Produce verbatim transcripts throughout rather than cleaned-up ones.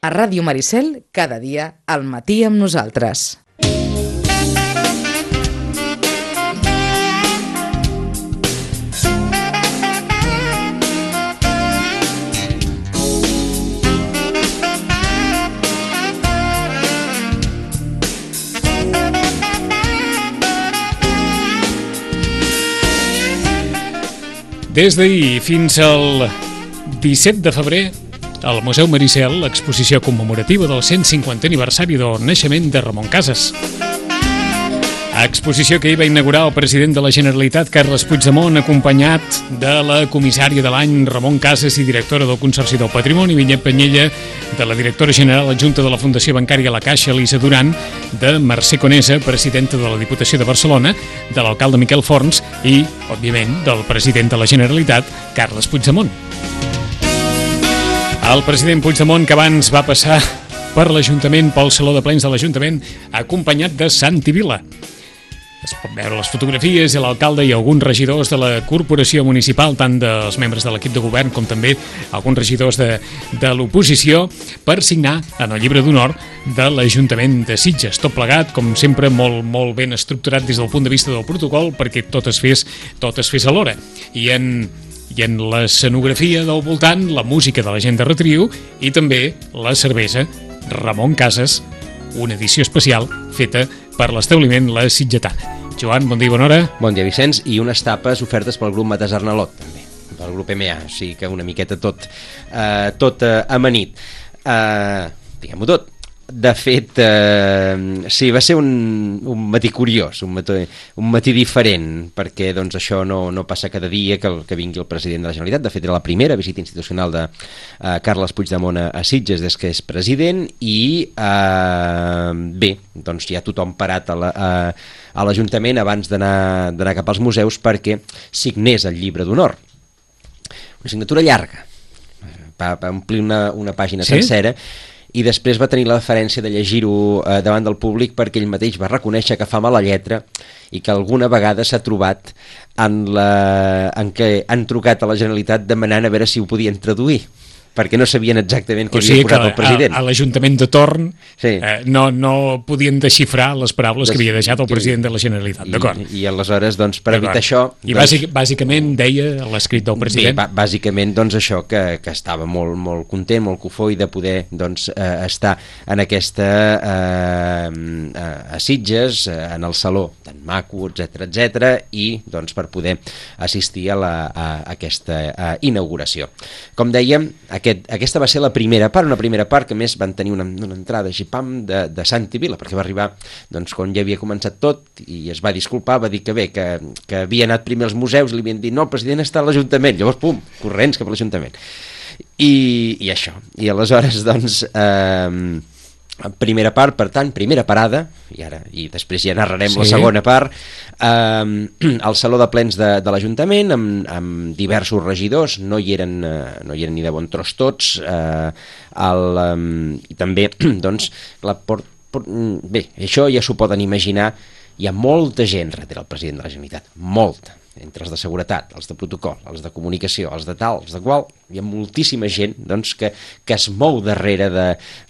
A Ràdio Maricel, cada dia al matí amb nosaltres. Des d'ahir fins al disset de febrer, al Museu Maricel, l'exposició commemorativa del cent cinquantè aniversari del naixement de Ramon Casas. Exposició que hi va inaugurar el president de la Generalitat, Carles Puigdemont, acompanyat de la comissària de l'any, Ramon Casas, i directora del Consorci del Patrimoni, Vinyet Penyella, de la directora general adjunta de la Fundació Bancària La Caixa, Elisa Duran, de Mercè Conesa, presidenta de la Diputació de Barcelona, de l'alcalde Miquel Forns i, òbviament, del president de la Generalitat, Carles Puigdemont. El president Puigdemont, que abans va passar per l'Ajuntament, pel Saló de Plens de l'Ajuntament, acompanyat de Santi Vila. Es pot veure les fotografies i l'alcalde i alguns regidors de la corporació municipal, tant dels membres de l'equip de govern com també alguns regidors de, de l'oposició, per signar en el llibre d'honor de l'Ajuntament de Sitges. Tot plegat, com sempre, molt, molt ben estructurat des del punt de vista del protocol, perquè tot es fes, tot es fes alhora. I en, i en l'escenografia del voltant, la música de la gent de Retriu i també la cervesa Ramon Casas, una edició especial feta per l'establiment La Sitgetana. Joan, bon dia i bona hora. Bon dia, Vicenç, i unes tapes ofertes pel grup Mates Arnalot, també, pel grup M A, o sigui que una miqueta tot, eh, tot eh, amanit. Eh, diguem-ho tot. De fet, eh, sí, va ser un, un matí curiós, un matí, un matí diferent, perquè doncs, això no, no passa cada dia que, el, que vingui el president de la Generalitat. De fet, era la primera visita institucional de eh, Carles Puigdemont a, a Sitges des que és president i, eh, bé, doncs ja tothom parat a la, a, a l'Ajuntament abans d'anar d'anar cap als museus perquè signés el llibre d'honor. Una signatura llarga, va, va omplir una, una pàgina sí? sencera, i després va tenir la deferència de llegir-ho eh, davant del públic perquè ell mateix va reconèixer que fa mala lletra i que alguna vegada s'ha trobat en, la, en què han trucat a la Generalitat demanant a veure si ho podien traduir, perquè no sabien exactament què havia posat el president. A, a l'Ajuntament de torn sí. eh, no, no podien desxifrar les paraules Des, que havia deixat el president de la Generalitat, d'acord? I, I aleshores, doncs, per evitar això... I doncs, bàsic, bàsicament deia l'escrit del president... Bé, bàsicament, doncs, això, que, que estava molt, molt content, molt cofoi de poder, doncs, eh, estar en aquesta... Eh, a Sitges, eh, en el saló tan maco, etcètera, etcètera, i, doncs, per poder assistir a, la, a aquesta a inauguració. Com dèiem, Aquest, aquesta va ser la primera part, una primera part que més van tenir una, una entrada xipam de, de Santi Vila, perquè va arribar doncs, quan ja havia començat tot i es va disculpar, va dir que bé, que, que havia anat primer als museus i li havien dit no, el president està a l'Ajuntament, llavors pum, corrents cap a l'Ajuntament. I, i això, i aleshores doncs... Eh, primera part, per tant, primera parada i ara i després ja narrarem sí. la segona part eh, al Saló de Plens de, de l'Ajuntament amb, amb diversos regidors, no hi eren eh, no hi eren ni de bon tros tots eh, el, eh, i també doncs la port, port, bé, això ja s'ho poden imaginar, hi ha molta gent darrere el president de la Generalitat, molta, entre els de seguretat, els de protocol, els de comunicació, els de tal, els de qual, hi ha moltíssima gent doncs, que, que es mou darrere de,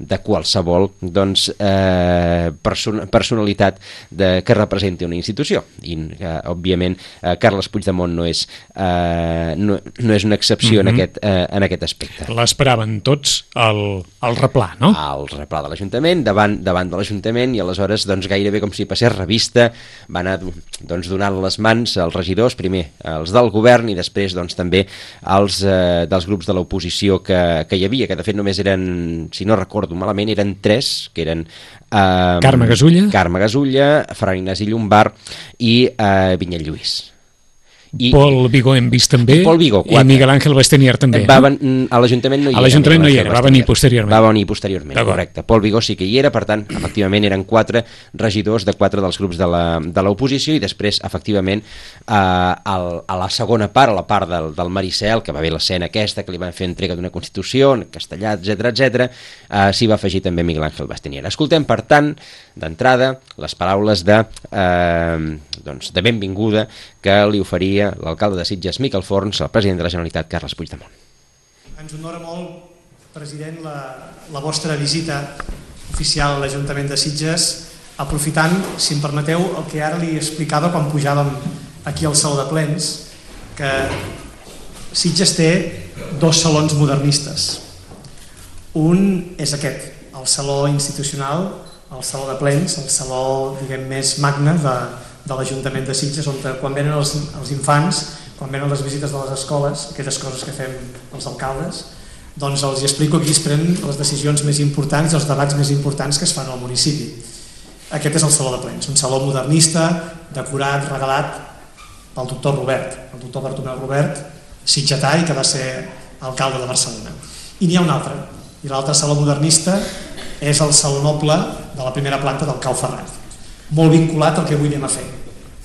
de qualsevol doncs, eh, person personalitat de, que representi una institució. I, eh, òbviament, eh, Carles Puigdemont no és, eh, no, no és una excepció mm-hmm. en, aquest, eh, en aquest aspecte. L'esperaven tots al, al replà, no? Al replà de l'Ajuntament, davant, davant de l'Ajuntament, i aleshores doncs, gairebé com si passés revista, va anar doncs, donant les mans als regidors, primer els del govern i després doncs, també els eh, dels grups de l'oposició que, que hi havia, que de fet només eren, si no recordo malament, eren tres, que eren eh, Carme Gasulla, Carme Gasulla, Ferran Ignasi Llombart i eh, Vinyet Lluís. I, Pol Vigó hem vist també, Pol Vigó, i Miguel Ángel Bastenier també. Va, no? A l'Ajuntament no hi era. A l'Ajuntament no hi era, va venir posteriorment. Va venir posteriorment, correcte. Pol Vigó sí que hi era, per tant, efectivament eren quatre regidors de quatre dels grups de l'oposició i després, efectivament, eh, al, a la segona part, a la part del, del Maricel, que va haver l'escena aquesta, que li van fer entrega d'una Constitució, en castellà, etcètera, etcètera, eh, s'hi va afegir també Miguel Ángel Bastenier. Escoltem, per tant, d'entrada, les paraules de, eh, doncs, de benvinguda que li oferia l'alcalde de Sitges, Miquel Forns, el president de la Generalitat, Carles Puigdemont. Ens honora molt President, la, la vostra visita oficial a l'Ajuntament de Sitges, aprofitant, si em permeteu, el que ara li explicava quan pujàvem aquí al Saló de Plens, que Sitges té dos salons modernistes. Un és aquest, el saló institucional, el Saló de Plens, el saló, diguem, més magne de, de l'Ajuntament de Sitges, on quan venen els, els infants, quan venen les visites de les escoles, aquelles coses que fem els alcaldes, doncs els explico aquí es prenen les decisions més importants i els debats més importants que es fan al municipi. Aquest és el Saló de Plens, un saló modernista, decorat, regalat pel doctor Robert, el doctor Bartomeu Robert, sitgetà i que va ser alcalde de Barcelona. I n'hi ha un altre, i l'altre saló modernista és el Saló Noble de la primera planta del Cau Ferrat, molt vinculat al que avui anem a fer,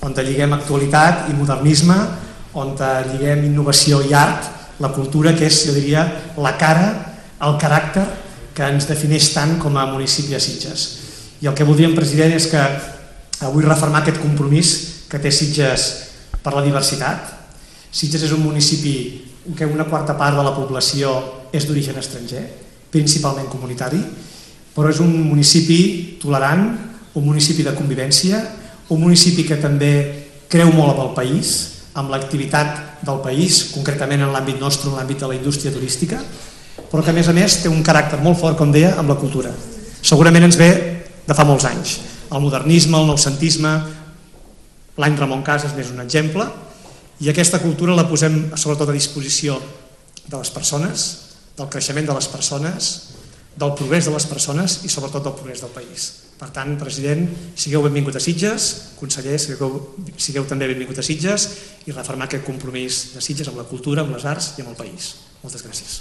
on lliguem actualitat i modernisme, on lliguem innovació i art, la cultura, que és, jo diria, la cara, el caràcter que ens defineix tant com a municipi de Sitges. I el que voldríem, president, és que avui refermar aquest compromís que té Sitges per la diversitat. Sitges és un municipi en què una quarta part de la població és d'origen estranger, principalment comunitari, però és un municipi tolerant, un municipi de convivència, un municipi que també creu molt amb el país, amb l'activitat del país, concretament en l'àmbit nostre, en l'àmbit de la indústria turística, però que a més a més té un caràcter molt fort, com deia, amb la cultura. Segurament ens ve de fa molts anys. El modernisme, el noucentisme, l'any Ramon Casas n'és un exemple, i aquesta cultura la posem sobretot a disposició de les persones, del creixement de les persones, del progrés de les persones i sobretot del progrés del país. Per tant, president, sigueu benvingut a Sitges, conseller, sigueu, sigueu també benvingut a Sitges i refermar aquest compromís de Sitges amb la cultura, amb les arts i amb el país. Moltes gràcies.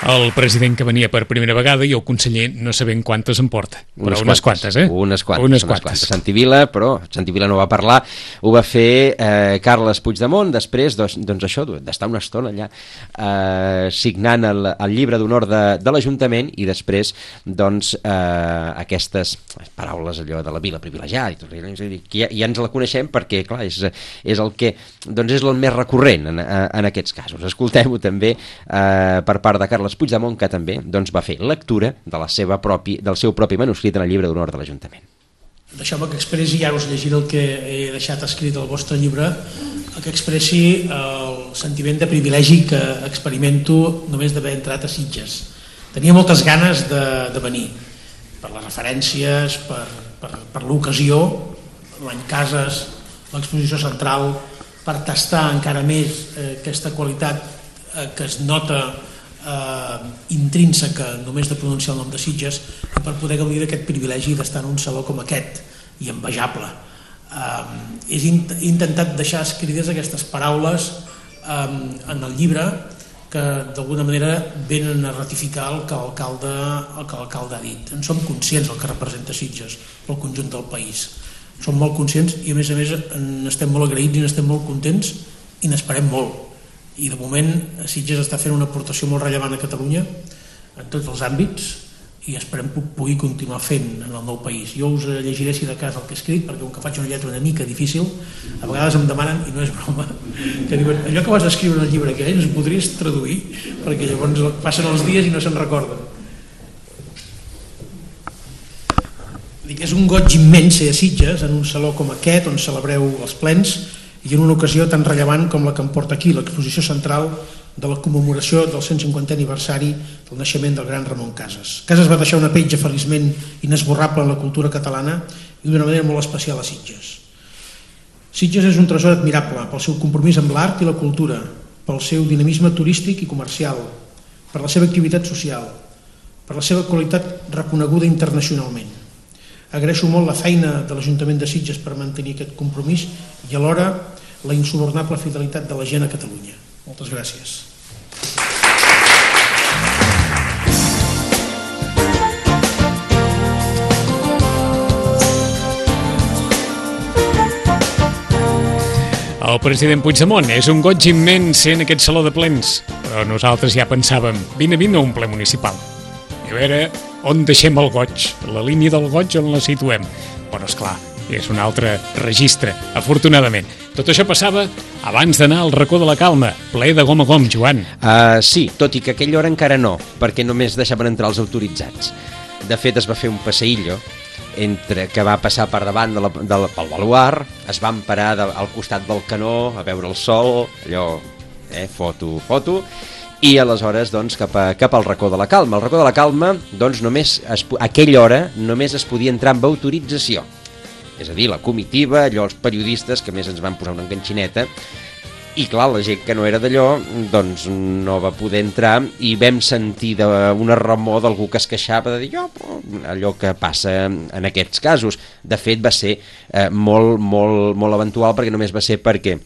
El president que venia per primera vegada i el conseller no sabem quantes en porta, però unes, unes quantes, eh? Unes quantes, unes unes quantes. quantes. Santi Vila, però Santi Vila no va parlar, ho va fer eh, Carles Puigdemont, després doncs, doncs això, d'estar una estona allà eh, signant el, el llibre d'honor de, de l'Ajuntament i després doncs eh, aquestes paraules allò de la vila privilegiada i tot, que ja, ja ens la coneixem perquè clar, és, és el que doncs és el més recurrent en, en aquests casos. Escoltem-ho també eh, per part de Carles Puigdemont, que també doncs, va fer lectura de la seva propi, del seu propi manuscrit en el llibre d'honor de l'Ajuntament. Deixeu-me que expressi, ja us llegiré el que he deixat escrit al vostre llibre, que expressi el sentiment de privilegi que experimento només d'haver entrat a Sitges. Tenia moltes ganes de, de venir, per les referències, per, per, per l'ocasió, l'any Casas, l'exposició central, per tastar encara més eh, aquesta qualitat eh, que es nota eh, intrínseca només de pronunciar el nom de Sitges i per poder gaudir d'aquest privilegi d'estar en un saló com aquest i envejable. Eh, he intentat deixar escrites aquestes paraules eh, en el llibre que d'alguna manera venen a ratificar el que l'alcalde el que l'alcalde ha dit. En som conscients del que representa Sitges pel conjunt del país. Som molt conscients i a més a més n'estem molt agraïts i n'estem molt contents i n'esperem molt. I de moment Sitges està fent una aportació molt rellevant a Catalunya en tots els àmbits i esperem que pugui continuar fent en el nou país. Jo us llegiré si de cas el que he escrit perquè com que faig una lletra una mica difícil a vegades em demanen, i no és broma, que diuen allò que vas escriure en el llibre aquell ens podries traduir perquè llavors passen els dies i no se'n recorden. Dic, és un goig immens ser a Sitges en un saló com aquest on celebreu els plens i en una ocasió tan rellevant com la que em porta aquí, l'exposició central de la commemoració del cent cinquantè aniversari del naixement del gran Ramon Casas. Casas va deixar una petja feliçment inesborrable en la cultura catalana i d'una manera molt especial a Sitges. Sitges és un tresor admirable pel seu compromís amb l'art i la cultura, pel seu dinamisme turístic i comercial, per la seva activitat social, per la seva qualitat reconeguda internacionalment. Agraeixo molt la feina de l'Ajuntament de Sitges per mantenir aquest compromís i alhora la insubornable fidelitat de la gent a Catalunya. Moltes gràcies. El president Puigdemont, és un goig immens ser en aquest saló de plens, però nosaltres ja pensàvem, vine, vine a un ple municipal. I a veure on deixem el goig, la línia del goig on la situem. Però esclar, és un altre registre, afortunadament. Tot això passava abans d'anar al racó de la Calma, ple de gom a gom, Joan. Uh, sí, tot i que a aquella hora encara no, perquè només deixaven entrar els autoritzats. De fet, es va fer un passeillo entre que va passar per davant de la, de la, pel baluar, es van parar de, al costat del canó a veure el sol, allò, eh, foto, foto, i aleshores doncs, cap, a, cap al racó de la Calma. Al racó de la Calma, doncs, només es, a aquella hora només es podia entrar amb autorització. És a dir, la comitiva, allò, els periodistes, que més ens van posar una enganxineta, i clar, la gent que no era d'allò doncs no va poder entrar, i vam sentir una remor d'algú que es queixava de dir oh, allò que passa en aquests casos. De fet, va ser eh, molt, molt, molt eventual, perquè només va ser perquè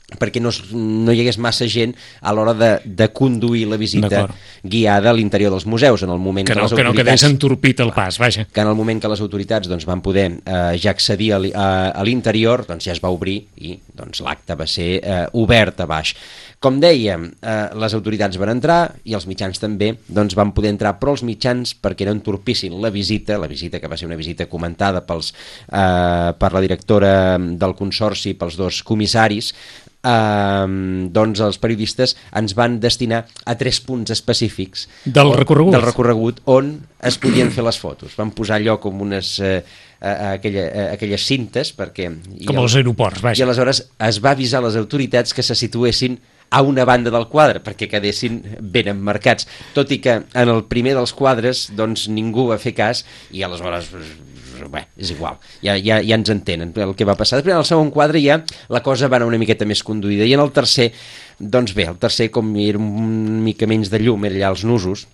perquè no, no hi hagués massa gent a l'hora de, de conduir la visita guiada a l'interior dels museus, en el moment que, que no, les autoritats... Que no quedés entorpit el pas, vaja. Que en el moment que les autoritats doncs, van poder eh, ja accedir a, a, a l'interior, doncs ja es va obrir i doncs, l'acte va ser eh, obert a baix. Com dèiem, eh, les autoritats van entrar i els mitjans també doncs, van poder entrar, però els mitjans, perquè no entorpissin la visita, la visita que va ser una visita comentada pels, eh, per la directora del Consorci, pels dos comissaris, Uh, doncs els periodistes ens van destinar a tres punts específics del recorregut, del recorregut on es podien fer les fotos. Van posar allò com unes uh, uh, aquella, uh, aquelles cintes perquè, com als aeroports, vaja. I aleshores es va avisar les autoritats que se situessin a una banda del quadre perquè quedessin ben emmarcats, tot i que en el primer dels quadres doncs ningú va fer cas i aleshores bé, és igual, ja, ja, ja ens entenen el que va passar. Després en el segon quadre ja la cosa va anar una miqueta més conduïda, i en el tercer, doncs bé, el tercer com era una mica menys de llum, era allà els nusos,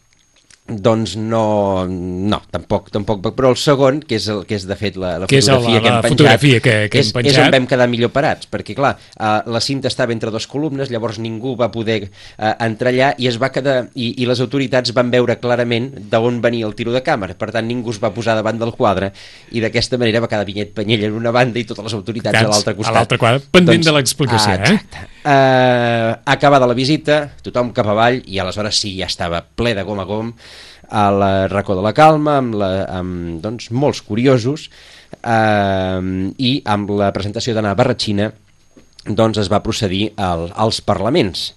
doncs no, no, tampoc, tampoc, però el segon, que és, el, que és de fet la, la fotografia, la, la que hem penjat, fotografia que, que és, hem penjat, és on vam quedar millor parats, perquè clar, uh, la cinta estava entre dues columnes, llavors ningú va poder uh, entrar allà i es va quedar, i, i les autoritats van veure clarament d'on venia el tiro de càmera, per tant ningú es va posar davant del quadre, i d'aquesta manera va quedar Vinyet Penyella en una banda i totes les autoritats Cats, a l'altre costat. A l'altre quadre, pendent doncs, de l'explicació, ah, eh? Uh, acabada la visita, tothom cap avall, i aleshores sí, ja estava ple de gom a gom, al racó de la Calma, amb, la, amb doncs, molts curiosos, eh, i amb la presentació d'Anna Barratxina doncs es va procedir al, als parlaments.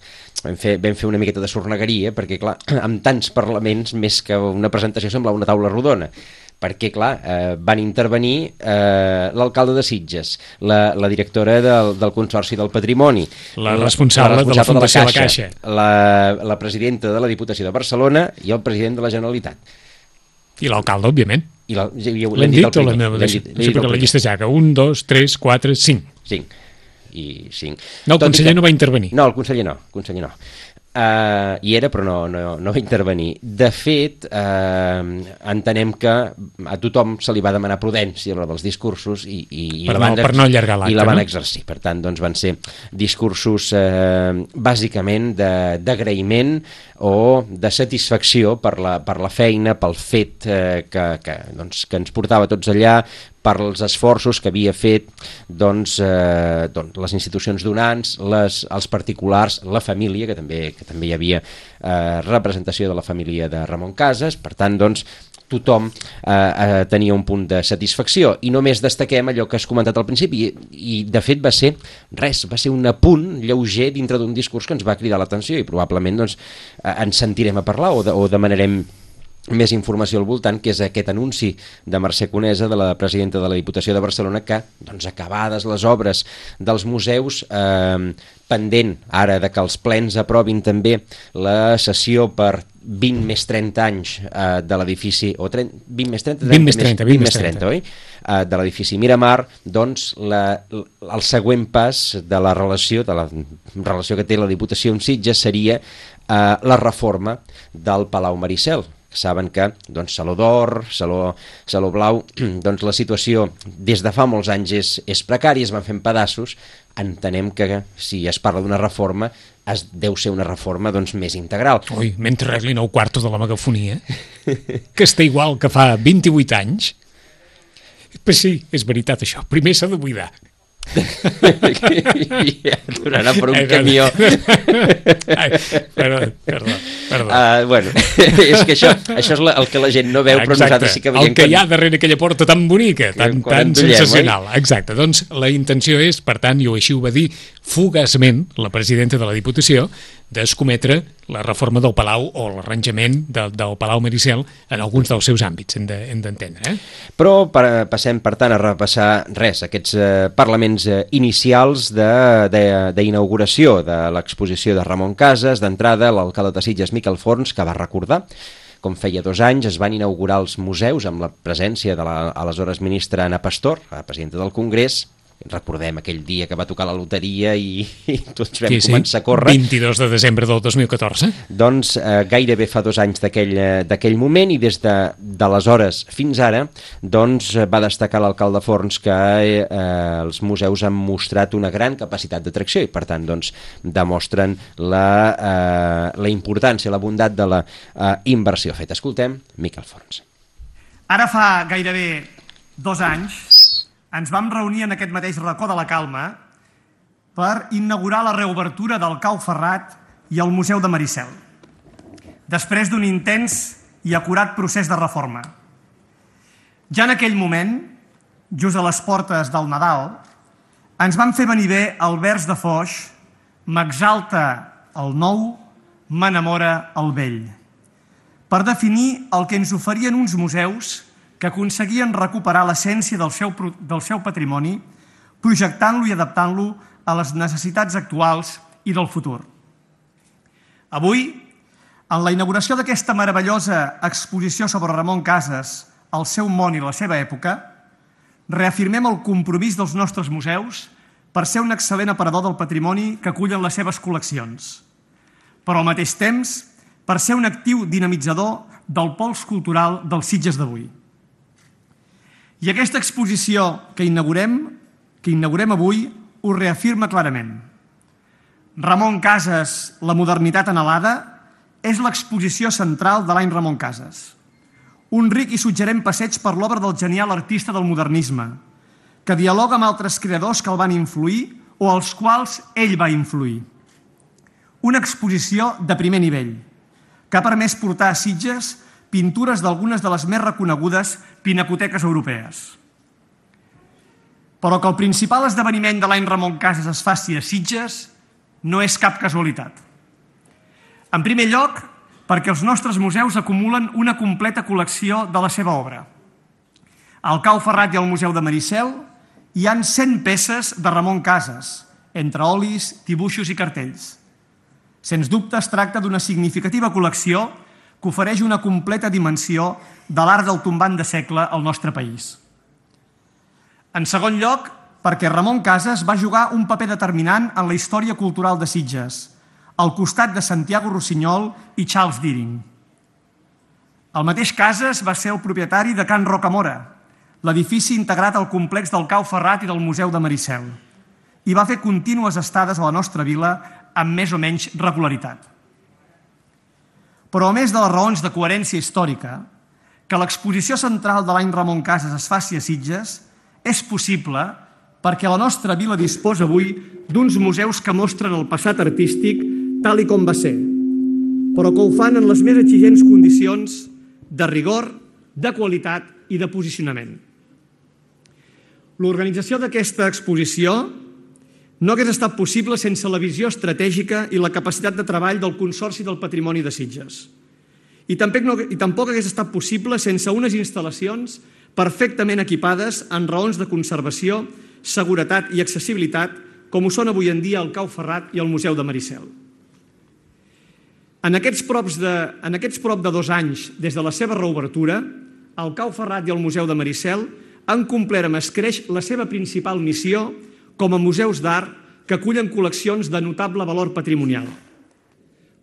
Vam fer, vam fer una miqueta de sornegueria, perquè clar, amb tants parlaments, més que una presentació semblava una taula rodona, perquè clar, eh, van intervenir eh, l'alcalde de Sitges, la, la directora del, del Consorci del Patrimoni, la responsable, la responsable de la Fundació de la Caixa, la, Caixa la, la presidenta de la Diputació de Barcelona i el president de la Generalitat. I l'alcalde, òbviament. I la, ja, ja, l'hem dit, dit o l'hem dit? Sí, perquè la llista ja que un, dos, tres, quatre, cinc. Cinc. I cinc. No, el Tot conseller que... no va intervenir. No, el conseller no, el conseller no. Uh, hi era però no, no, no va intervenir. De fet, uh, entenem que a tothom se li va demanar prudència a l'hora dels discursos i, i, i, per, la van, no, per no allargar l'acte, i la van no? exercir. Per tant, doncs, van ser discursos uh, bàsicament d'agraïment o de satisfacció per la, per la feina, pel fet uh, que, que, doncs, que ens portava tots allà, per als esforços que havia fet doncs, eh, doncs, les institucions donants, les, els particulars, la família, que també, que també hi havia eh, representació de la família de Ramon Casas, per tant, doncs, tothom eh, eh, tenia un punt de satisfacció, i només destaquem allò que has comentat al principi, i, i de fet va ser res, va ser un apunt lleuger dintre d'un discurs que ens va cridar l'atenció, i probablement doncs, eh, ens sentirem a parlar o, de, o demanarem més informació al voltant, que és aquest anunci de Mercè Conesa, de la presidenta de la Diputació de Barcelona, que, doncs, acabades les obres dels museus, eh, pendent ara de que els plens aprovin també la sessió per vint més trenta anys eh, de l'edifici, o trenta, vint més trenta, vint més trenta, vint més trenta, oi? Eh, de l'edifici Miramar, doncs la, el següent pas de la relació, de la relació que té la Diputació amb Sitges seria eh, la reforma del Palau Maricel. Saben que doncs, Saló d'Or, Saló, Saló Blau, doncs la situació des de fa molts anys és, és precària, es van fent pedaços. Entenem que si es parla d'una reforma es deu ser una reforma doncs, més integral. Ui, mentre arreglin el quarto de la megafonia, que està igual que fa vint-i-vuit anys. Però sí, és veritat això, primer s'ha de buidar. I aturarà per un camió. Ai, perdó, perdó, perdó. Uh, bueno, és que això, això és la, el que la gent no veu, Exacte. Però nosaltres sí que veiem. El que quan... hi ha darrere aquella porta tan bonica, tan, tan endollem, sensacional. Oi? Exacte, doncs la intenció és, per tant, i així ho va dir fugaçment la presidenta de la Diputació, d'escometre la reforma del Palau o l'arranjament de, del Palau Maricel en alguns dels seus àmbits, hem d'entendre. De, eh? Però per, passem, per tant, a repassar res, aquests eh, parlaments eh, inicials d'inauguració de, de, de l'exposició de Ramon Casas. D'entrada, l'alcalde de Sitges, Miquel Forns, que va recordar com feia dos anys es van inaugurar els museus amb la presència de l'aleshores ministra Ana Pastor, la presidenta del Congrés. Recordem aquell dia que va tocar la loteria i, i tots vam sí, sí. començar a córrer. vint-i-dos de desembre del dos mil catorze. Doncs eh, gairebé fa dos anys d'aquell moment, i des d'aleshores de, fins ara doncs, va destacar l'alcalde Forns que eh, els museus han mostrat una gran capacitat d'atracció i per tant doncs, demostren la, eh, la importància, la bondat de la eh, inversió feta. Escoltem Miquel Forns. Ara fa gairebé dos anys ens vam reunir en aquest mateix racó de la Calma per inaugurar la reobertura del Cau Ferrat i el Museu de Maricel, després d'un intens i acurat procés de reforma. Ja en aquell moment, just a les portes del Nadal, ens van fer venir bé el vers de Foix, m'exalta el nou, m'enamora el vell, per definir el que ens oferien uns museus que aconseguien recuperar l'essència del seu, del seu patrimoni, projectant-lo i adaptant-lo a les necessitats actuals i del futur. Avui, en la inauguració d'aquesta meravellosa exposició sobre Ramon Casas, el seu món i la seva època, reafirmem el compromís dels nostres museus per ser un excel·lent aparador del patrimoni que acullen les seves col·leccions, però al mateix temps per ser un actiu dinamitzador del pols cultural dels Sitges d'avui. I aquesta exposició que inaugurem, que inaugurem avui ho reafirma clarament. Ramon Casas, la modernitat anhelada, és l'exposició central de l'any Ramon Casas. Un ric i suggerent passeig per l'obra del genial artista del modernisme, que dialoga amb altres creadors que el van influir o als quals ell va influir. Una exposició de primer nivell, que ha permès portar a Sitges pintures d'algunes de les més reconegudes pinacoteques europees. Però que el principal esdeveniment de l'any Ramon Casas es faci a Sitges no és cap casualitat. En primer lloc, perquè els nostres museus acumulen una completa col·lecció de la seva obra. Al Cau Ferrat i al Museu de Maricel hi han cent peces de Ramon Casas, entre olis, dibuixos i cartells. Sens dubte es tracta d'una significativa col·lecció que ofereix una completa dimensió de l'art del tombant de segle al nostre país. En segon lloc, perquè Ramon Casas va jugar un paper determinant en la història cultural de Sitges, al costat de Santiago Rossinyol i Charles Deering. El mateix Casas va ser el propietari de Can Rocamora, l'edifici integrat al complex del Cau Ferrat i del Museu de Maricel, i va fer contínues estades a la nostra vila amb més o menys regularitat. Però a més de les raons de coherència històrica, que l'exposició central de l'any Ramon Casas es faci a Sitges és possible perquè la nostra vila disposa avui d'uns museus que mostren el passat artístic tal i com va ser, però que ho fan en les més exigents condicions de rigor, de qualitat i de posicionament. L'organització d'aquesta exposició no hagués estat possible sense la visió estratègica i la capacitat de treball del Consorci del Patrimoni de Sitges. I tampoc, no, i tampoc hagués estat possible sense unes instal·lacions perfectament equipades en raons de conservació, seguretat i accessibilitat, com ho són avui en dia el Cau Ferrat i el Museu de Maricel. En aquests, props de, en aquests prop de dos anys des de la seva reobertura, el Cau Ferrat i el Museu de Maricel han complert amb escreix la seva principal missió com a museus d'art que acullen col·leccions de notable valor patrimonial.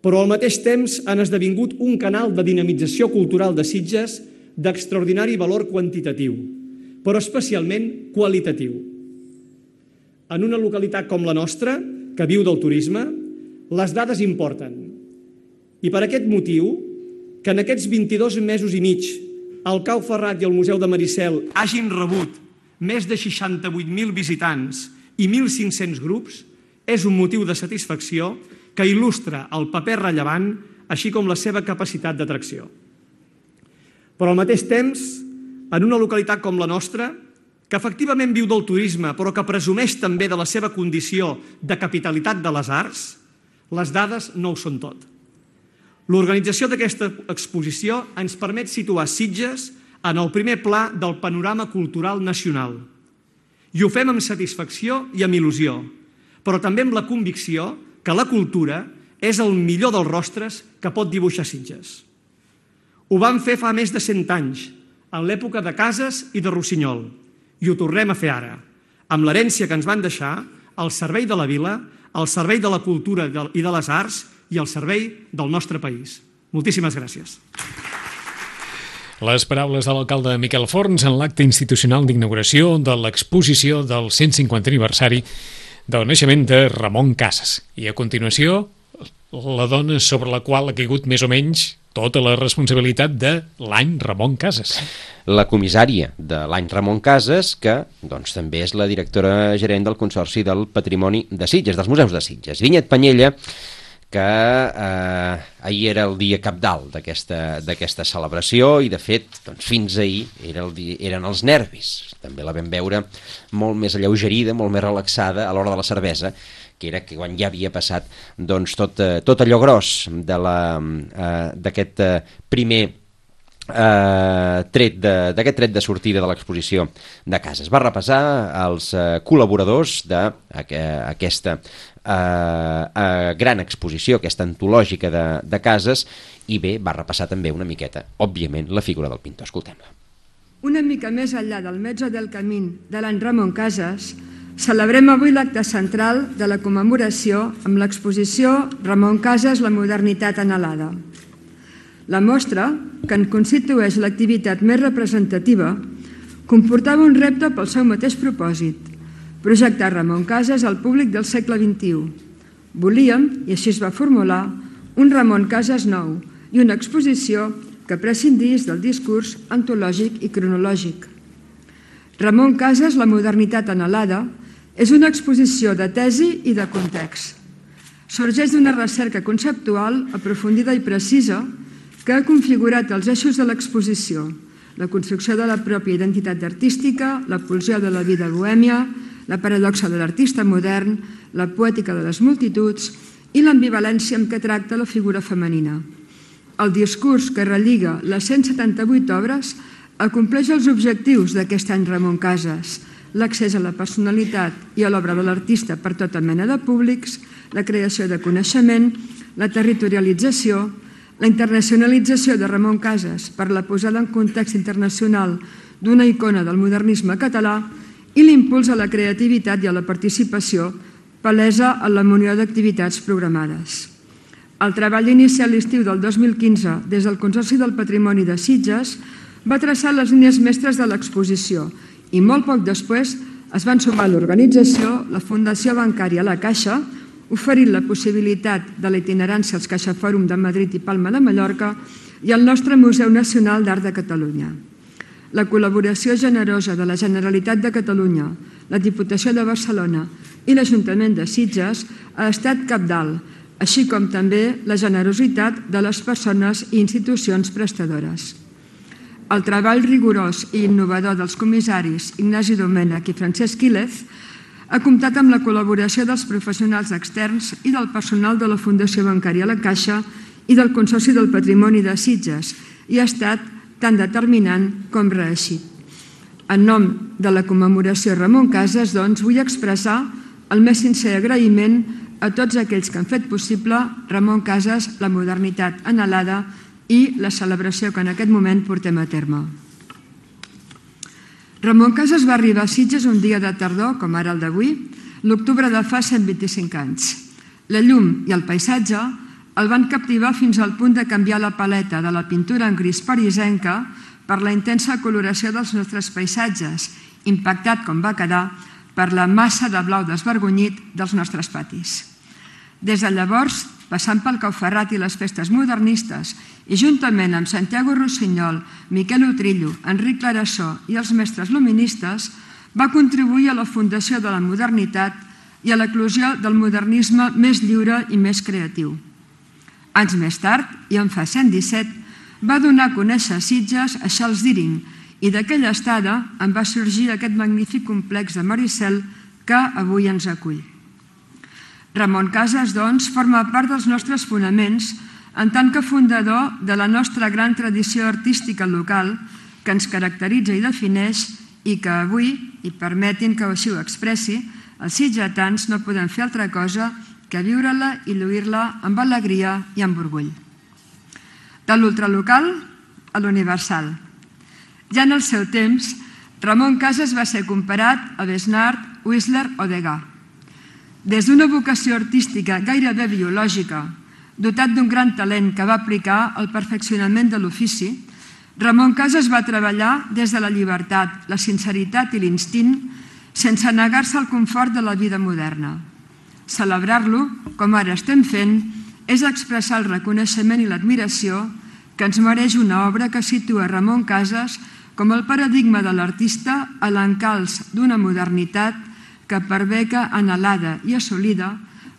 Però al mateix temps han esdevingut un canal de dinamització cultural de Sitges d'extraordinari valor quantitatiu, però especialment qualitatiu. En una localitat com la nostra, que viu del turisme, les dades importen. I per aquest motiu, que en aquests vint-i-dos mesos i mig el Cau Ferrat i el Museu de Maricel hagin rebut més de seixanta-vuit mil visitants i mil cinc-cents grups és un motiu de satisfacció que il·lustra el paper rellevant, així com la seva capacitat d'atracció. Però al mateix temps, en una localitat com la nostra, que efectivament viu del turisme, però que presumeix també de la seva condició de capitalitat de les arts, les dades no ho són tot. L'organització d'aquesta exposició ens permet situar Sitges en el primer pla del panorama cultural nacional. I ho fem amb satisfacció i amb il·lusió, però també amb la convicció que la cultura és el millor dels rostres que pot dibuixar Sitges. Ho vam fer fa més de cent anys, en l'època de Casas i de Rossinyol, i ho tornem a fer ara, amb l'herència que ens van deixar al servei de la vila, al servei de la cultura i de les arts i al servei del nostre país. Moltíssimes gràcies. Les paraules de l'alcalde Miquel Forns en l'acte institucional d'inauguració de l'exposició del cent cinquantè aniversari del naixement de Ramon Casas. I a continuació, la dona sobre la qual ha caigut més o menys tota la responsabilitat de l'any Ramon Casas. La comissària de l'any Ramon Casas, que doncs, també és la directora gerent del Consorci del Patrimoni de Sitges, dels Museus de Sitges. Vinyet Panyella, que eh, ahir era el dia cabdal d'aquesta celebració i, de fet, doncs, fins ahir era el dia, eren els nervis. També la vam veure molt més alleugerida, molt més relaxada a l'hora de la cervesa, que era que quan ja havia passat doncs, tot, tot allò gros d'aquest eh, primer eh, tret de, d'aquest tret de sortida de l'exposició de Casas. Va repassar els eh, col·laboradors d'aquesta eh, eh, gran exposició, aquesta antològica de, de Casas, i bé, va repassar també una miqueta, òbviament, la figura del pintor. Escoltem-la. Una mica més enllà del Mezzo del Camí de l'any Ramon Casas, celebrem avui l'acte central de la commemoració amb l'exposició Ramon Casas, la modernitat anhelada. La mostra, que en constitueix l'activitat més representativa, comportava un repte pel seu mateix propòsit, projectar Ramon Casas al públic del segle vint-i-u. Volíem, i així es va formular, un Ramon Casas nou i una exposició que prescindís del discurs antològic i cronològic. Ramon Casas, la modernitat anhelada, és una exposició de tesi i de context. Sorgeix d'una recerca conceptual aprofundida i precisa que ha configurat els eixos de l'exposició, la construcció de la pròpia identitat artística, la pulsió de la vida bohèmia, la paradoxa de l'artista modern, la poètica de les multituds i l'ambivalència amb què tracta la figura femenina. El discurs que relliga les cent setanta-vuit obres acompleix els objectius d'aquest any Ramon Casas, l'accés a la personalitat i a l'obra de l'artista per tota mena de públics, la creació de coneixement, la territorialització, la internacionalització de Ramon Casas per la posada en context internacional d'una icona del modernisme català i l'impuls a la creativitat i a la participació palesa en la munió d'activitats programades. El treball inicial l'estiu del dos mil quinze des del Consorci del Patrimoni de Sitges va traçar les línies mestres de l'exposició i molt poc després es van sumar a l'organització la Fundació Bancària La Caixa, oferint la possibilitat de la itinerància als CaixaFòrum de Madrid i Palma de Mallorca i el nostre Museu Nacional d'Art de Catalunya. La col·laboració generosa de la Generalitat de Catalunya, la Diputació de Barcelona i l'Ajuntament de Sitges ha estat cabdal, així com també la generositat de les persones i institucions prestadores. El treball rigorós i innovador dels comissaris Ignasi Domènech i Francesc Quílez ha comptat amb la col·laboració dels professionals externs i del personal de la Fundació Bancària La Caixa i del Consorci del Patrimoni de Sitges i ha estat tan determinant com reeixit. En nom de la commemoració Ramon Casas, doncs, vull expressar el més sincer agraïment a tots aquells que han fet possible Ramon Casas, la modernitat anhelada i la celebració que en aquest moment portem a terme. Ramon Casas va arribar a Sitges un dia de tardor, com ara el d'avui, l'octubre de fa cent vint-i-cinc anys. La llum i el paisatge el van captivar fins al punt de canviar la paleta de la pintura en gris parisenca per la intensa coloració dels nostres paisatges, impactat com va quedar per la massa de blau desvergonyit dels nostres patis. Des de llavors, passant pel Cau Ferrat i les festes modernistes, i juntament amb Santiago Rossinyol, Miquel Utrillo, Enric Clarasó i els mestres luministes, va contribuir a la fundació de la modernitat i a l'eclosió del modernisme més lliure i més creatiu. Anys més tard, i en fa cent disset, va donar a conèixer Sitges a Charles Deering i d'aquella estada en va sorgir aquest magnífic complex de Maricel que avui ens acull. Ramon Casas, doncs, forma part dels nostres fonaments en tant que fundador de la nostra gran tradició artística local que ens caracteritza i defineix i que avui, i permetin que així ho expressi, els sitgetans no podem fer altra cosa que viure-la i lluir-la amb alegria i amb orgull. De l'ultralocal a l'universal. Ja en el seu temps, Ramon Casas va ser comparat a Besnard, Whistler o Degas. Des d'una vocació artística gairebé biològica, dotat d'un gran talent que va aplicar al perfeccionament de l'ofici, Ramon Casas va treballar des de la llibertat, la sinceritat i l'instint sense negar-se al confort de la vida moderna. Celebrar-lo, com ara estem fent, és expressar el reconeixement i l'admiració que ens mereix una obra que situa Ramon Casas com el paradigma de l'artista a l'encalç d'una modernitat que perbeca anhelada i assolida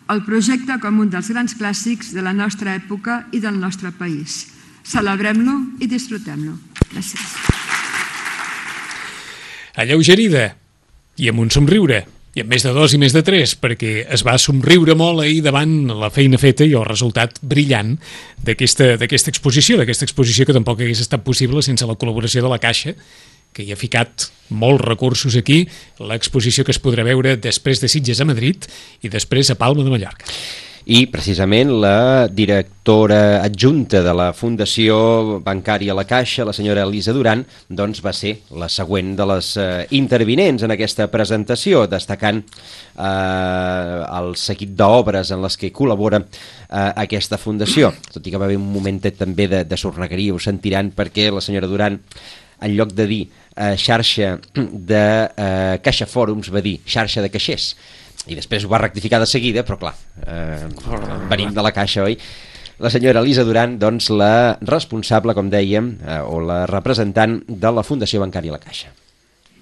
el projecte com un dels grans clàssics de la nostra època i del nostre país. Celebrem-lo i disfrutem-lo. Gràcies. Alleugerida i amb un somriure, i amb més de dos i més de tres, perquè es va somriure molt ahir davant la feina feta i el resultat brillant d'aquesta exposició, d'aquesta exposició que tampoc hagués estat possible sense la col·laboració de la Caixa, que hi ha ficat molts recursos aquí, l'exposició que es podrà veure després de Sitges a Madrid i després a Palma de Mallorca. I precisament la directora adjunta de la Fundació Bancària La Caixa, la senyora Elisa Duran, doncs va ser la següent de les eh, intervinents en aquesta presentació, destacant eh, el seguit d'obres en les que col·labora eh, aquesta fundació. Tot i que va haver un momentet també de, de sornegueria, ho sentiran, perquè la senyora Duran, en lloc de dir eh, xarxa de eh, Caixa Fòrums, va dir xarxa de caixers. I després ho va rectificar de seguida, però clar, eh, venim de la Caixa, oi? La senyora Elisa Duran, doncs la responsable, com dèiem, eh, o la representant de la Fundació Bancària La Caixa.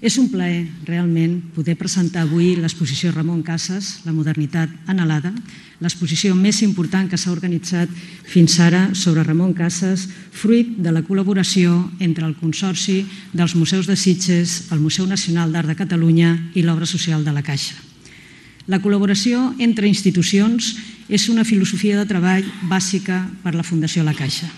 És un plaer, realment, poder presentar avui l'exposició Ramon Casas, la modernitat anhelada, l'exposició més important que s'ha organitzat fins ara sobre Ramon Casas, fruit de la col·laboració entre el Consorci dels Museus de Sitges, el Museu Nacional d'Art de Catalunya i l'Obra Social de la Caixa. La col·laboració entre institucions és una filosofia de treball bàsica per la Fundació La Caixa.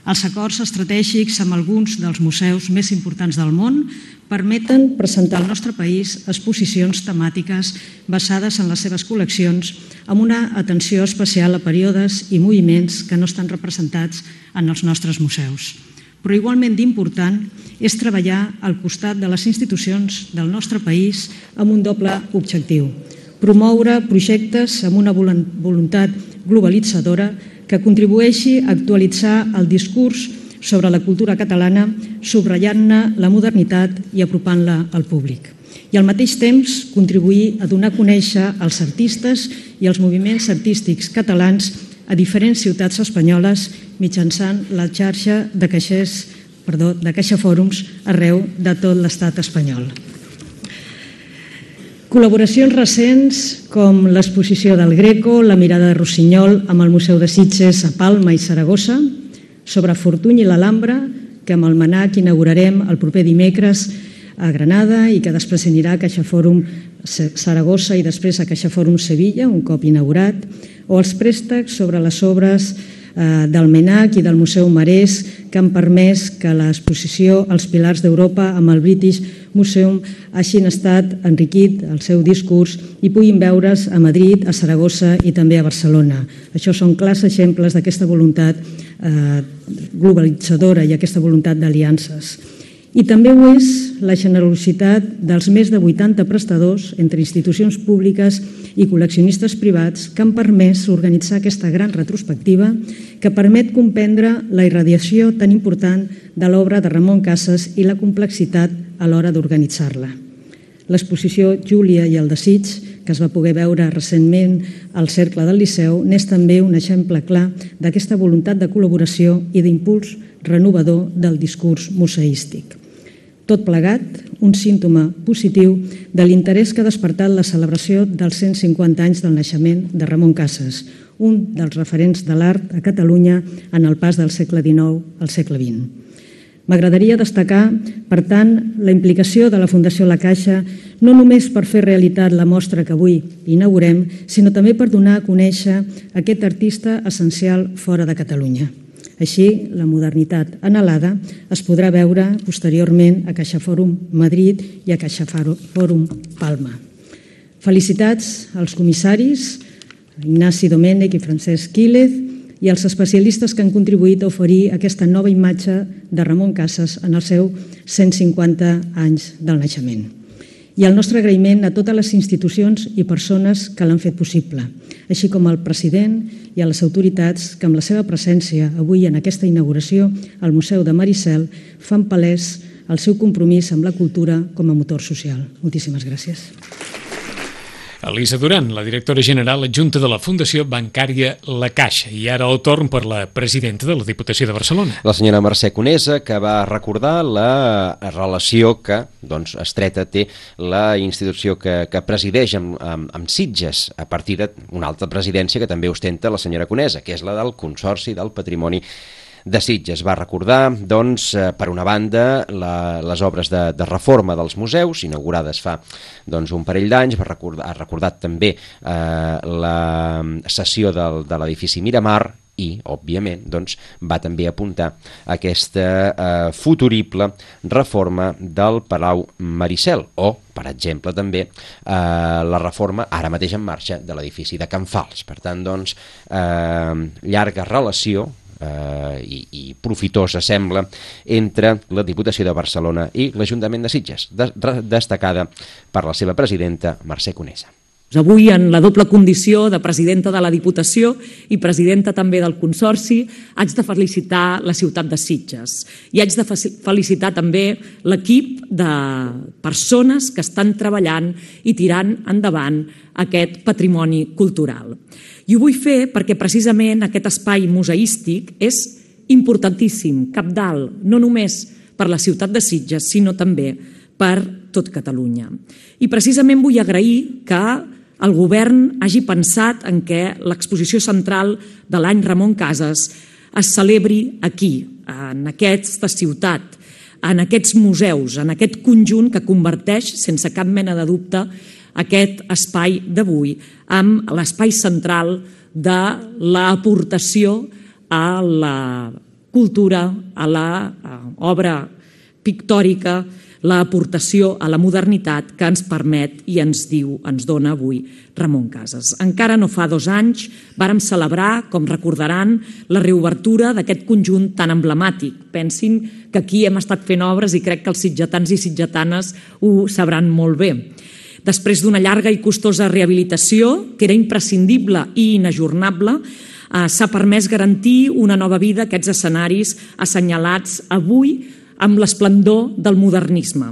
Els acords estratègics amb alguns dels museus més importants del món permeten presentar al nostre país exposicions temàtiques basades en les seves col·leccions amb una atenció especial a períodes i moviments que no estan representats en els nostres museus. Però igualment d'important és treballar al costat de les institucions del nostre país amb un doble objectiu: promoure projectes amb una voluntat globalitzadora que contribueixi a actualitzar el discurs sobre la cultura catalana, subratllant-ne la modernitat i apropant-la al públic. I al mateix temps contribuir a donar a conèixer els artistes i els moviments artístics catalans a diferents ciutats espanyoles mitjançant la xarxa de caixers, perdó, de Caixa Fòrums arreu de tot l'estat espanyol. Col·laboracions recents com l'exposició del Greco, la mirada de Rossinyol amb el Museu de Sitges a Palma i Saragossa, sobre Fortuny i l'Alhambra, que amb el MANAC inaugurarem el proper dimecres a Granada i que després anirà a Caixa Fòrum Saragossa i després a Caixa Fòrum Sevilla, un cop inaugurat, o els préstecs sobre les obres del MANAC i del Museu Marès que han permès que l'exposició als Pilars d'Europa amb el British Museum hagin estat enriquit el seu discurs i puguin veure's a Madrid, a Saragossa i també a Barcelona. Això són clars exemples d'aquesta voluntat globalitzadora i aquesta voluntat d'aliances. I també ho és la generositat dels més de vuitanta prestadors entre institucions públiques i col·leccionistes privats que han permès organitzar aquesta gran retrospectiva que permet comprendre la irradiació tan important de l'obra de Ramon Casas i la complexitat a l'hora d'organitzar-la. L'exposició Júlia i el desig, que es va poder veure recentment al Cercle del Liceu, n'és també un exemple clar d'aquesta voluntat de col·laboració i d'impuls renovador del discurs museístic. Tot plegat, un símptoma positiu de l'interès que ha despertat la celebració dels cent cinquanta anys del naixement de Ramon Casas, un dels referents de l'art a Catalunya en el pas del segle dinou al segle vint. M'agradaria destacar, per tant, la implicació de la Fundació La Caixa no només per fer realitat la mostra que avui inaugurem, sinó també per donar a conèixer aquest artista essencial fora de Catalunya. Així, la modernitat anhelada es podrà veure posteriorment a CaixaForum Madrid i a CaixaForum Palma. Felicitats als comissaris, Ignasi Domènech i Francesc Quílez, i els especialistes que han contribuït a oferir aquesta nova imatge de Ramon Casas en el seu cent cinquanta anys del naixement. I el nostre agraïment a totes les institucions i persones que l'han fet possible, així com al president i a les autoritats que amb la seva presència avui en aquesta inauguració al Museu de Maricel fan palès el seu compromís amb la cultura com a motor social. Moltíssimes gràcies. Elisa Duran, la directora general adjunta de la Fundació Bancària La Caixa. I ara el torn per la presidenta de la Diputació de Barcelona. La senyora Mercè Conesa, que va recordar la relació que doncs, estreta té la institució que, que presideix amb, amb, amb Sitges, a partir d'una altra presidència que també ostenta la senyora Conesa, que és la del Consorci del Patrimoni de Sitges. Va recordar, doncs, per una banda, la, les obres de, de reforma dels museus, inaugurades fa doncs, un parell d'anys. Va recordar, ha recordat també eh, la cessió del, de l'edifici Miramar i, òbviament, doncs, va també apuntar aquesta eh, futurible reforma del Palau Maricel o, per exemple, també eh, la reforma ara mateix en marxa de l'edifici de Can Fals. Per tant, doncs, eh, llarga relació Uh, i, i profitosa sembla entre la Diputació de Barcelona i l'Ajuntament de Sitges, de, destacada per la seva presidenta Mercè Conesa. Avui, en la doble condició de presidenta de la Diputació i presidenta també del Consorci, haig de felicitar la ciutat de Sitges i haig de felicitar també l'equip de persones que estan treballant i tirant endavant aquest patrimoni cultural. I ho vull fer perquè precisament aquest espai museístic és importantíssim, cabdal, no només per la ciutat de Sitges, sinó també per tot Catalunya. I precisament vull agrair que el govern hagi pensat en què l'exposició central de l'any Ramon Casas es celebri aquí, en aquesta ciutat, en aquests museus, en aquest conjunt que converteix, sense cap mena de dubte, aquest espai d'avui amb l'espai central de l'aportació a la cultura, a l'obra pictòrica, l'aportació a la modernitat que ens permet i ens diu, ens dona avui Ramon Casas. Encara no fa dos anys vàrem celebrar, com recordaran, la reobertura d'aquest conjunt tan emblemàtic. Pensin que aquí hem estat fent obres i crec que els sitgetans i sitgetanes ho sabran molt bé. Després d'una llarga i costosa rehabilitació, que era imprescindible i inajornable, s'ha permès garantir una nova vida a aquests escenaris assenyalats avui amb l'esplendor del modernisme.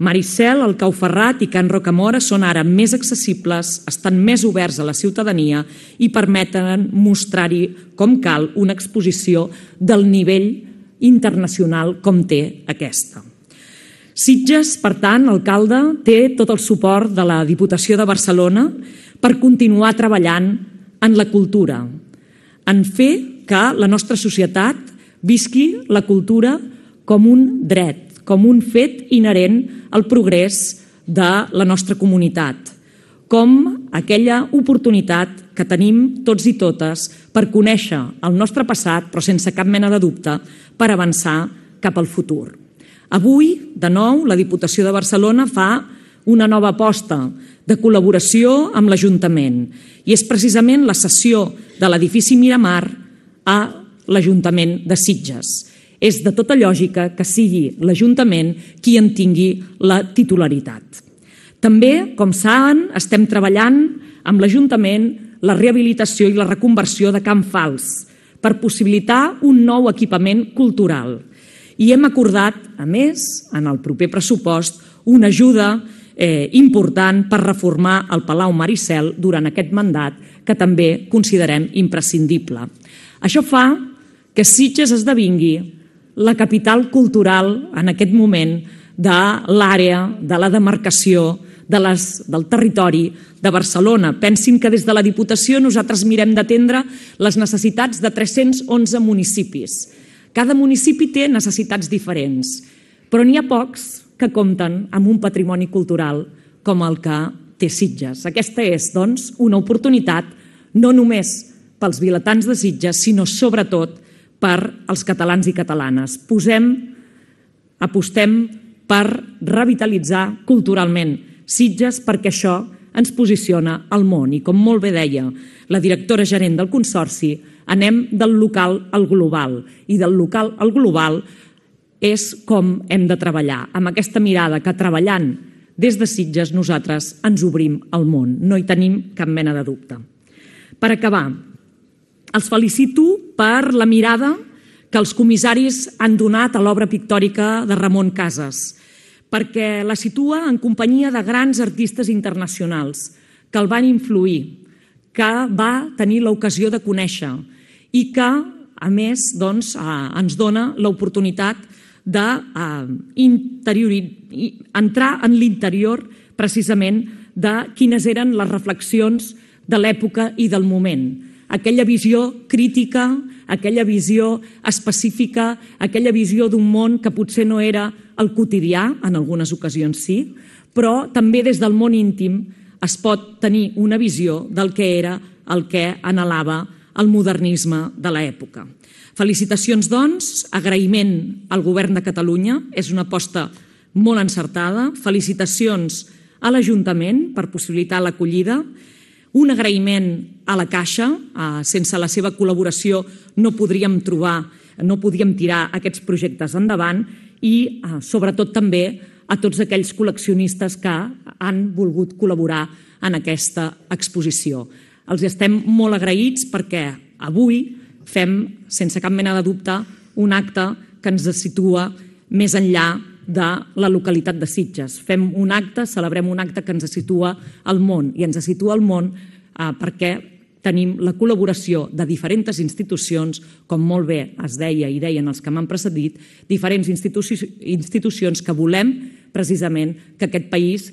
Maricel, el Cau Ferrat i Can Rocamora són ara més accessibles, estan més oberts a la ciutadania i permeten mostrar-hi com cal una exposició del nivell internacional com té aquesta. Sitges, per tant, alcalde, té tot el suport de la Diputació de Barcelona per continuar treballant en la cultura, en fer que la nostra societat visqui la cultura com un dret, com un fet inherent al progrés de la nostra comunitat, com aquella oportunitat que tenim tots i totes per conèixer el nostre passat, però sense cap mena de dubte, per avançar cap al futur. Avui, de nou, la Diputació de Barcelona fa una nova aposta de col·laboració amb l'Ajuntament i és precisament la cessió de l'edifici Miramar a l'Ajuntament de Sitges. És de tota lògica que sigui l'Ajuntament qui en tingui la titularitat. També, com saben, estem treballant amb l'Ajuntament la rehabilitació i la reconversió de Can Fals per possibilitar un nou equipament cultural. I hem acordat, a més, en el proper pressupost, una ajuda eh, important per reformar el Palau Maricel durant aquest mandat, que també considerem imprescindible. Això fa que Sitges esdevingui la capital cultural en aquest moment de l'àrea, de la demarcació, de les, del territori de Barcelona. Pensin que des de la Diputació nosaltres mirem d'atendre les necessitats de tres-cents onze municipis. Cada municipi té necessitats diferents, però n'hi ha pocs que compten amb un patrimoni cultural com el que té Sitges. Aquesta és, doncs, una oportunitat no només pels vilatans de Sitges, sinó sobretot per als catalans i catalanes. Posem, apostem per revitalitzar culturalment Sitges perquè això ens posiciona al món. I com molt bé deia la directora gerent del Consorci, anem del local al global. I del local al global és com hem de treballar, amb aquesta mirada que treballant des de Sitges nosaltres ens obrim al món. No hi tenim cap mena de dubte. Per acabar, els felicito per la mirada que els comissaris han donat a l'obra pictòrica de Ramon Casas, perquè la situa en companyia de grans artistes internacionals que el van influir, que va tenir l'ocasió de conèixer i que, a més, doncs, ens dona l'oportunitat d'entrar en l'interior precisament de quines eren les reflexions de l'època i del moment. Aquella visió crítica, aquella visió específica, aquella visió d'un món que potser no era el quotidià, en algunes ocasions sí, però també des del món íntim es pot tenir una visió del que era el que anhelava el modernisme de l'època. Felicitacions, doncs, agraïment al Govern de Catalunya, és una aposta molt encertada, felicitacions a l'Ajuntament per possibilitar l'acollida, un agraïment a la Caixa, sense la seva col·laboració no podríem trobar, no podíem tirar aquests projectes endavant i sobretot també a tots aquells col·leccionistes que han volgut col·laborar en aquesta exposició. Els estem molt agraïts perquè avui fem, sense cap mena de dubte, un acte que ens situa més enllà de la localitat de Sitges. Fem un acte, celebrem un acte que ens situa al món, i ens situa al món perquè tenim la col·laboració de diferents institucions, com molt bé es deia i deien els que m'han precedit, diferents institucions que volem precisament que aquest país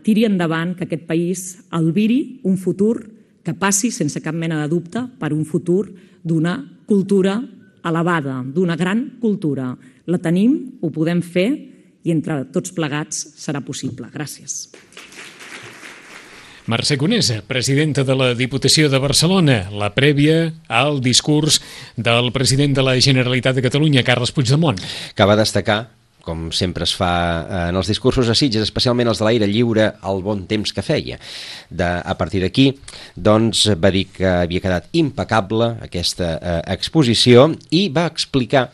tiri endavant, que aquest país albiri un futur que passi, sense cap mena de dubte, per un futur d'una cultura elevada, d'una gran cultura. La tenim, ho podem fer i entre tots plegats serà possible. Gràcies. Mercè Conesa, presidenta de la Diputació de Barcelona, la prèvia al discurs del president de la Generalitat de Catalunya, Carles Puigdemont. Que va destacar, com sempre es fa en els discursos a Sitges, especialment els de l'aire lliure, el bon temps que feia. De, a partir d'aquí, doncs, va dir que havia quedat impecable aquesta eh, exposició i va explicar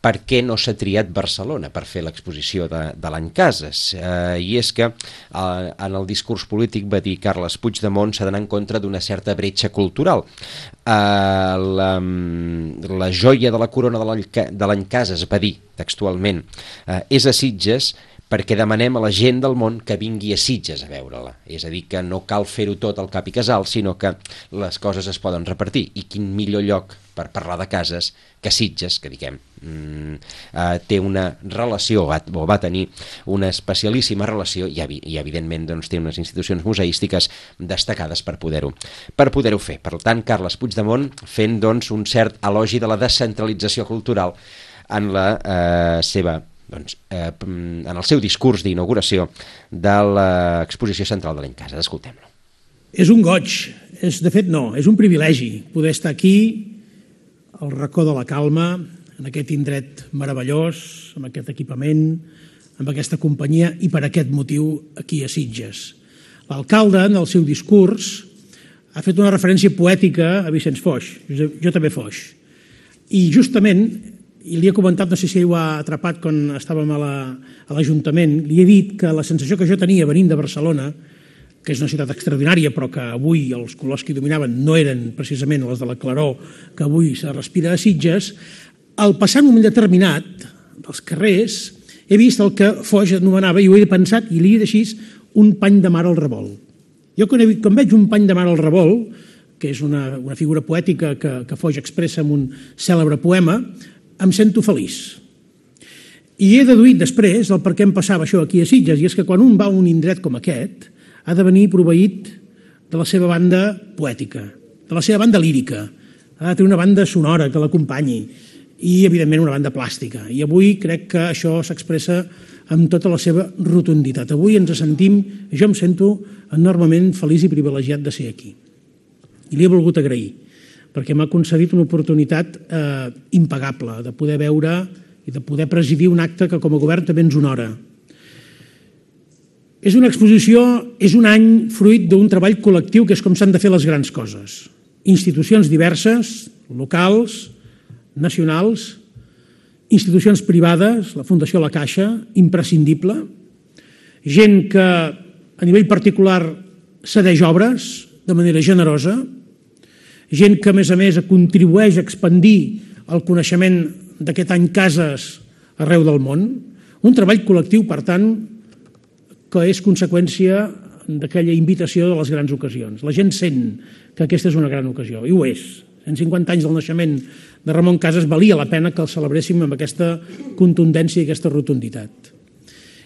per què no s'ha triat Barcelona per fer l'exposició de, de l'any Casas. Eh, I és que eh, en el discurs polític va dir Carles Puigdemont s'ha d'anar en contra d'una certa bretxa cultural. Eh, la, la joia de la corona de l'any Casas, va dir textualment, eh, és a Sitges perquè demanem a la gent del món que vingui a Sitges a veure-la. És a dir, que no cal fer-ho tot al cap i casal, sinó que les coses es poden repartir. I quin millor lloc per parlar de cases que Sitges, que diguem, mm, eh, té una relació, o va tenir una especialíssima relació, i, i evidentment doncs, té unes institucions museístiques destacades per poder-ho per poder-ho fer. Per tant, Carles Puigdemont fent doncs, un cert elogi de la descentralització cultural en la eh, seva Doncs, eh, en el seu discurs d'inauguració de l'exposició central de l'any Casas. Escoltem-lo. És un goig, és, de fet no, és un privilegi poder estar aquí al racó de la calma, en aquest indret meravellós, amb aquest equipament, amb aquesta companyia i per aquest motiu aquí a Sitges. L'alcalde, en el seu discurs, ha fet una referència poètica a Vicenç Foix, jo, jo també Foix, i justament, i li he comentat, no sé si ho ha atrapat quan estàvem a l'Ajuntament, li he dit que la sensació que jo tenia venint de Barcelona, que és una ciutat extraordinària, però que avui els colors que hi dominaven no eren precisament els de la claror que avui se respira a Sitges, al passar un moment determinat dels carrers, he vist el que Foix anomenava, i ho he pensat, i li he dit així, un pany de mar al revolt. Jo quan, he, quan veig un pany de mar al revolt, que és una, una figura poètica que, que Foix expressa en un cèlebre poema, em sento feliç. I he deduït després el per què em passava això aquí a Sitges, i és que quan un va a un indret com aquest ha de venir proveït de la seva banda poètica, de la seva banda lírica, ha de tenir una banda sonora que l'acompanyi i, evidentment, una banda plàstica. I avui crec que això s'expressa amb tota la seva rotunditat. Avui ens sentim, jo em sento enormement feliç i privilegiat de ser aquí. I li he volgut agrair, perquè m'ha concedit una oportunitat eh, impagable de poder veure i de poder presidir un acte que com a govern també ens honora. És una exposició, és un any fruit d'un treball col·lectiu que és com s'han de fer les grans coses. Institucions diverses, locals, nacionals, institucions privades, la Fundació La Caixa, imprescindible, gent que a nivell particular cedeix obres de manera generosa, gent que a més a més contribueix a expandir el coneixement d'aquest any Cases arreu del món, un treball col·lectiu, per tant, que és conseqüència d'aquella invitació de les grans ocasions. La gent sent que aquesta és una gran ocasió, i ho és. cent cinquanta anys del naixement de Ramon Casas valia la pena que el celebréssim amb aquesta contundència i aquesta rotunditat.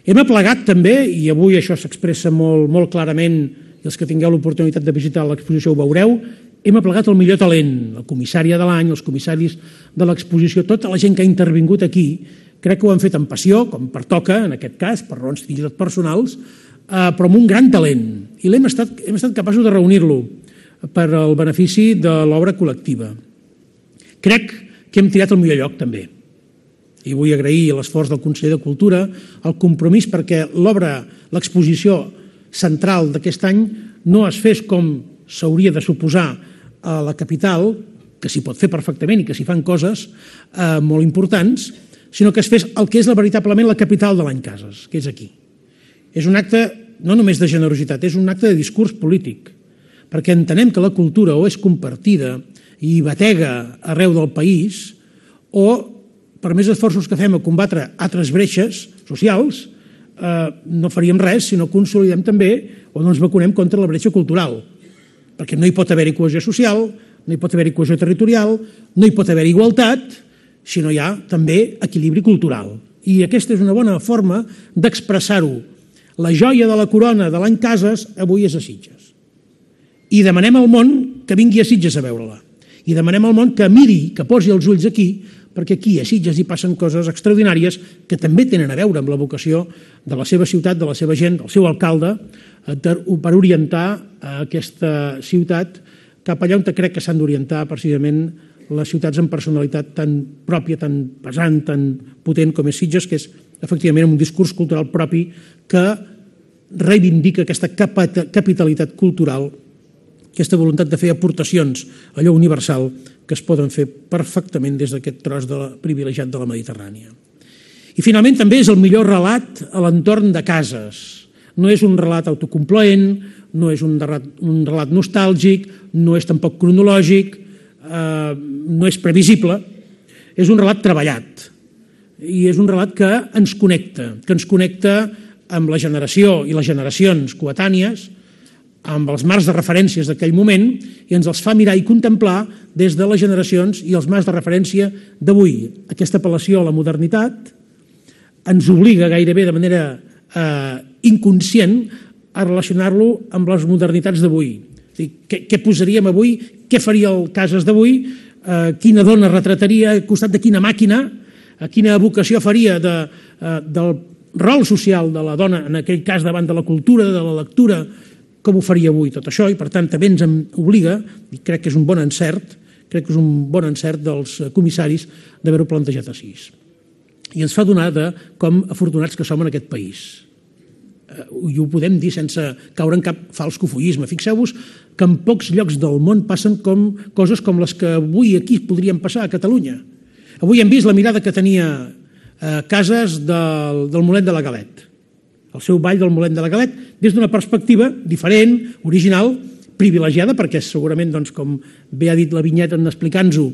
Hem aplegat també, i avui això s'expressa molt, molt clarament, i els que tingueu l'oportunitat de visitar l'exposició ho veureu, hem aplegat el millor talent, la comissària de l'any, els comissaris de l'exposició, tota la gent que ha intervingut aquí, crec que ho han fet amb passió, com pertoca, en aquest cas, per raons fins i tot personals, però amb un gran talent. I l'hem estat, hem estat capaços de reunir-lo per al benefici de l'obra col·lectiva. Crec que hem triat el millor lloc, també. I vull agrair l'esforç del conseller de Cultura, el compromís perquè l'obra, l'exposició central d'aquest any no es fes com s'hauria de suposar a la capital, que s'hi pot fer perfectament i que s'hi fan coses eh, molt importants, sinó que es fes el que és la, veritablement la capital de l'any Cases, que és aquí. És un acte no només de generositat, és un acte de discurs polític, perquè entenem que la cultura o és compartida i batega arreu del país, o per més esforços que fem a combatre altres breixes socials, eh, no faríem res si no consolidem també o no ens vacunem contra la bretxa cultural, perquè no hi pot haver-hi cohesió social, no hi pot haver-hi cohesió territorial, no hi pot haver-hi igualtat, si no hi ha també equilibri cultural. I aquesta és una bona forma d'expressar-ho. La joia de la corona de l'any Cases avui és a Sitges. I demanem al món que vingui a Sitges a veure-la. I demanem al món que miri, que posi els ulls aquí, perquè aquí a Sitges hi passen coses extraordinàries que també tenen a veure amb la vocació de la seva ciutat, de la seva gent, del seu alcalde, per orientar aquesta ciutat cap allà on crec que s'han d'orientar precisament les ciutats amb personalitat tan pròpia, tan pesant, tan potent com és Sitges, que és efectivament un discurs cultural propi que reivindica aquesta capitalitat cultural, aquesta voluntat de fer aportacions, allò universal, que es poden fer perfectament des d'aquest tros de la, privilegiat de la Mediterrània. I finalment també és el millor relat a l'entorn de Cases. No és un relat autocomplaent, no és un relat, un relat nostàlgic, no és tampoc cronològic, eh, no és previsible, és un relat treballat. I és un relat que ens connecta, que ens connecta amb la generació i les generacions coetànies, amb els marcs de referències d'aquell moment, i ens els fa mirar i contemplar des de les generacions i els marcs de referència d'avui. Aquesta apel·lació a la modernitat ens obliga gairebé de manera eh, inconscient a relacionar-lo amb les modernitats d'avui. Què, què posaríem avui? Què faria el Cases d'avui? Eh, quina dona retrataria al costat de quina màquina? Eh, quina evocació faria de, eh, del rol social de la dona, en aquell cas davant de la cultura, de la lectura, com ho faria avui tot això, i per tant també ens obliga, i crec que és un bon encert, crec que és un bon encert dels comissaris d'haver-ho plantejat així. I ens fa donar de com afortunats que som en aquest país. I ho podem dir sense caure en cap fals cofoisme. Fixeu-vos que en pocs llocs del món passen com, coses com les que avui aquí podrien passar a Catalunya. Avui hem vist la mirada que tenia eh, Cases del, del Mollet de la Galet, el seu ball del Mollet de la Galet, des d'una perspectiva diferent, original, privilegiada, perquè segurament, doncs, com bé ha dit la vinyeta en explicant-ho,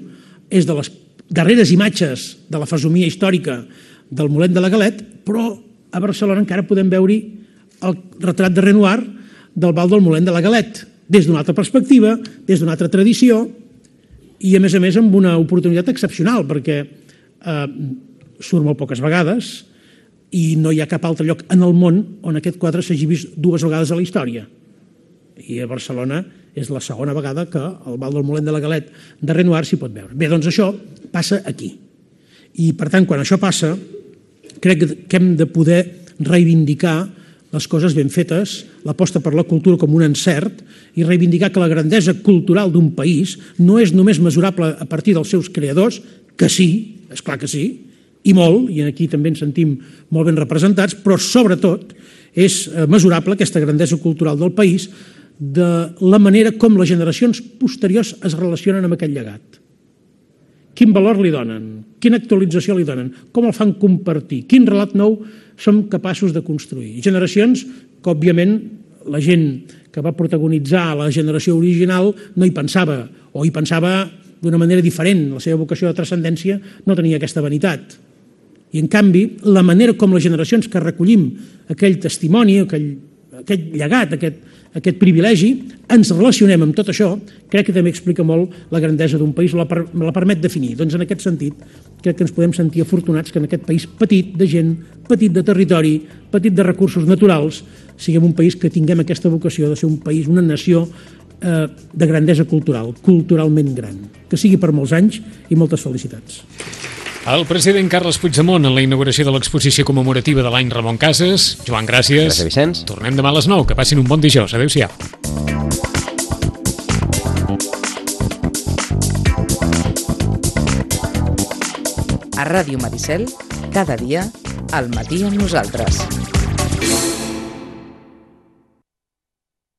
és de les darreres imatges de la fesomia històrica del Mollet de la Galet, però a Barcelona encara podem veure el retrat de Renoir del ball del Mollet de la Galet, des d'una altra perspectiva, des d'una altra tradició, i a més a més amb una oportunitat excepcional, perquè eh, surt molt poques vegades i no hi ha cap altre lloc en el món on aquest quadre s'hagi vist dues vegades a la història. I a Barcelona és la segona vegada que al Val del Molent de la Galet de Renoir s'hi pot veure. Bé, doncs això passa aquí. I, per tant, quan això passa, crec que hem de poder reivindicar les coses ben fetes, l'aposta per la cultura com un encert i reivindicar que la grandesa cultural d'un país no és només mesurable a partir dels seus creadors, que sí, és clar que sí, i molt, i aquí també ens sentim molt ben representats, però sobretot és mesurable aquesta grandesa cultural del país de la manera com les generacions posteriors es relacionen amb aquest llegat. Quin valor li donen? Quina actualització li donen? Com el fan compartir? Quin relat nou som capaços de construir? Generacions que, òbviament, la gent que va protagonitzar la generació original no hi pensava, o hi pensava d'una manera diferent. La seva vocació de transcendència no tenia aquesta vanitat. I, en canvi, la manera com les generacions que recollim aquell testimoni, aquell, aquest llegat, aquest, aquest privilegi, ens relacionem amb tot això, crec que també explica molt la grandesa d'un país, la, per, la permet definir. Doncs en aquest sentit, crec que ens podem sentir afortunats que en aquest país petit de gent, petit de territori, petit de recursos naturals, siguem un país que tinguem aquesta vocació de ser un país, una nació eh, de grandesa cultural, culturalment gran. Que sigui per molts anys i moltes felicitats. El president Carles Puigdemont en la inauguració de l'exposició commemorativa de l'any Ramon Casas. Joan, gràcies. Gràcies, Vicenç. Tornem demà a les nou. Que passin un bon dijous. Adéu-siau. A Ràdio Maricel, cada dia, al matí amb nosaltres.